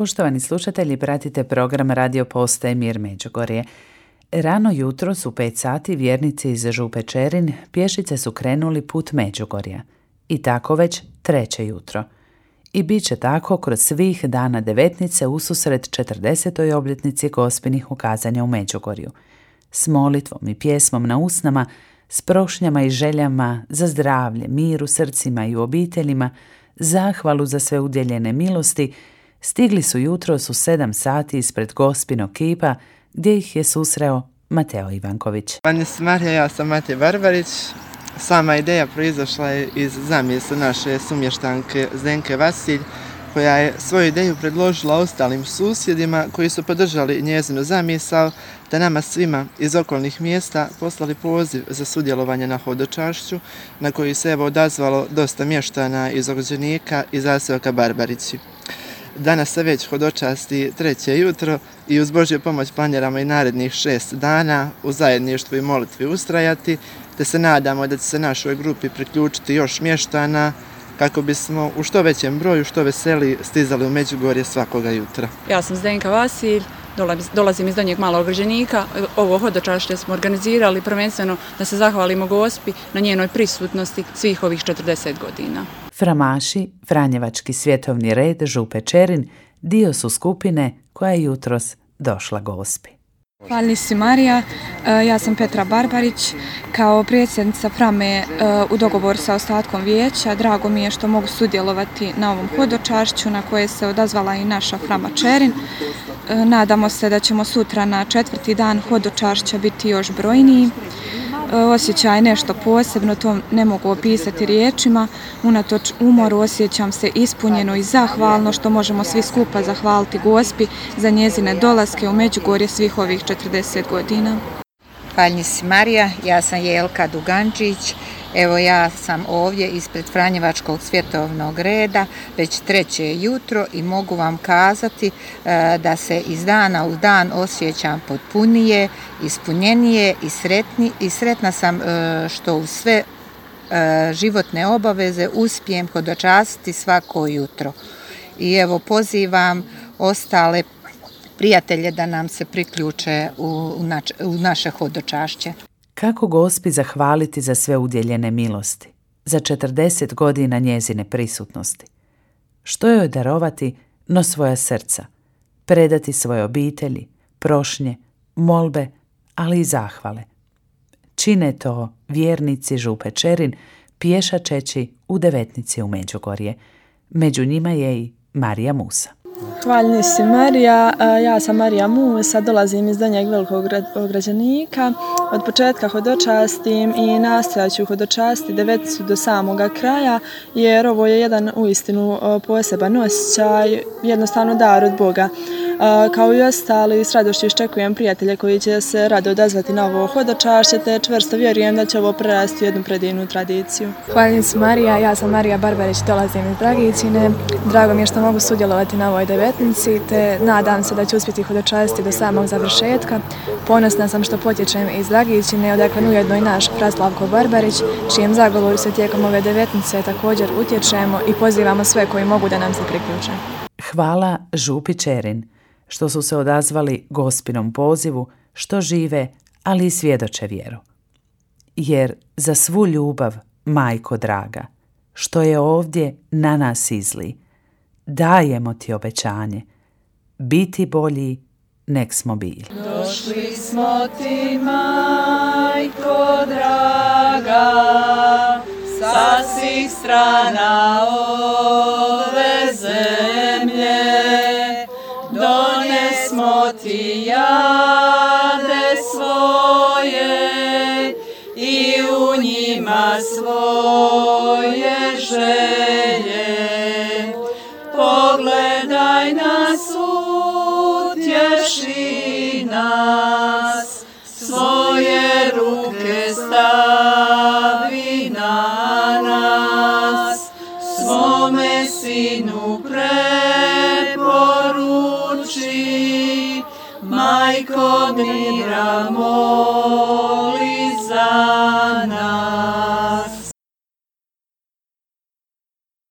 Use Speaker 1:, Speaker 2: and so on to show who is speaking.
Speaker 1: Poštovani slušatelji, pratite program Radio Postaje Mir Međugorje. Rano jutros u 5 sati vjernici iz Župe Čerin pješice su krenuli put Međugorja. I tako već 3. jutro. I bit će tako kroz svih dana devetnice ususret 40. obljetnici Gospinih ukazanja u Međugorju. S molitvom i pjesmom na usnama, s prošnjama i željama za zdravlje, mir u srcima i u obiteljima, zahvalu za sve udjeljene milosti, stigli su jutros u 7 sati ispred Gospinog kipa, gdje ih je susreo Mateo Ivanković.
Speaker 2: Pani Marija, ja sam Matej Barbarić. Sama ideja proizašla je iz zamisli naše sumještanke Zdenke Vasilj, koja je svoju ideju predložila ostalim susjedima koji su podržali njezinu zamisao, te nama svima iz okolnih mjesta poslali poziv za sudjelovanje na hodočašću, na koji se odazvalo dosta mještana iz Orđenika i zaseoka Barbarići. Danas se već hodočasti 3. jutro i uz Božju pomoć planiramo i narednih 6 dana u zajedništvu i molitvi ustrajati, te se nadamo da će se našoj grupi priključiti još mještana kako bismo u što većem broju, što veseliji stizali u Međugorje svakoga jutra.
Speaker 3: Ja sam Zdenka Vasilj, dolazim iz Donjeg Malog Orđenika. Ovo hodočašće smo organizirali prvenstveno da se zahvalimo Gospi na njenoj prisutnosti svih ovih 40 godina.
Speaker 1: Framaši, Franjevački svjetovni red Župe Čerin, dio su skupine koja je jutros došla Gospi.
Speaker 4: Hvala si Marija, ja sam Petra Barbarić, kao predsjednica Frame u dogovoru sa ostatkom vijeća. Drago mi je što mogu sudjelovati na ovom hodočašću na koje se odazvala i naša Frama Čerin. Nadamo se da ćemo sutra na 4. dan hodočašća biti još brojniji. Osjećaj nešto posebno, to ne mogu opisati riječima. Unatoč umoru osjećam se ispunjeno i zahvalno što možemo svi skupa zahvaliti Gospi za njezine dolaske u Međugorje svih ovih 40 godina.
Speaker 5: Hvala si Marija, ja sam Jelka Dugančić. Evo ja sam ovdje ispred Franjevačkog svjetovnog reda već 3. jutro i mogu vam kazati da se iz dana u dan osjećam potpunije, ispunjenije i sretna sam što u sve životne obaveze uspijem hodočastiti svako jutro. I evo pozivam ostale prijatelje da nam se priključe u naše hodočašće.
Speaker 1: Kako Gospi zahvaliti za sve udjeljene milosti, za 40 godina njezine prisutnosti? Što joj darovati no svoja srca, predati svoje obitelji, prošnje, molbe, ali i zahvale? Čine to vjernici Župe Čerin pješačeći u devetnici u Međugorje. Među njima je i Marija Musa.
Speaker 6: Hvala si Marija, ja sam Marija Musa, dolazim iz Donjeg Velikog Orđenika. Od početka hodočastim i nastojat ću hodočastiti deveticu do samoga kraja, jer ovo je jedan uistinu poseban osjećaj, jednostavno dar od Boga. Kao i ostali, s radošću iščekujem prijatelje koji će se rado odazvati na ovo hodočašće, te čvrsto vjerujem da će ovo prerasti u jednu predivnu tradiciju.
Speaker 7: Hvala si Marija, ja sam Marija Barbarić, dolazim iz Dragičine. Drago mi je što mogu sudjelovati na ovoj devetnici, te nadam se da ću uspjeti hodočastiti do samog završetka. Ponosna sam što potječem iz Dragičine, odakle ujedno i naš Praslavko Barbarić, čijem zagovoru se tijekom ove devetnice također utječemo i pozivamo sve koji mogu da nam se priključe.
Speaker 1: Hvala Župi Čerin što su se odazvali Gospinom pozivu, što žive, ali i svjedoče vjeru. Jer za svu ljubav, majko draga, što je ovdje na nas izli, dajemo ti obećanje, biti bolji nek smo bili.
Speaker 8: Došli smo ti, majko draga, sa svih strana ove zemlje, donesmo ti jade svoje i u njima svoje želje. Pogledaj nas, utješi nas, svoje ruke stavi na nas, svome sinu preporuči, majko mira moli za nas.